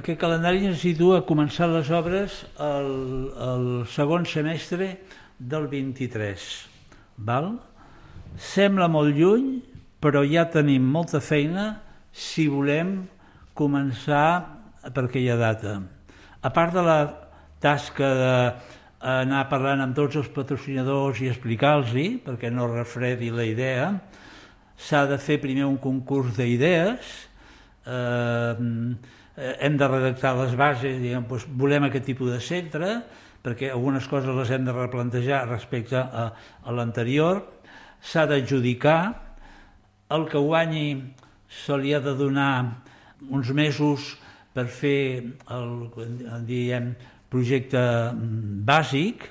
aquest calendari ens situa a començar les obres el segon semestre del 23. Val? Sembla molt lluny, però ja tenim molta feina si volem començar per aquella data. A part de la tasca d'anar parlant amb tots els patrocinadors i explicar-los-hi, perquè no refredi la idea, s'ha de fer primer un concurs d'idees, hem de redactar les bases, doncs, volem aquest tipus de centre, perquè algunes coses les hem de replantejar respecte a l'anterior, s'ha d'adjudicar, el que guanyi se li ha de donar uns mesos per fer el projecte bàsic,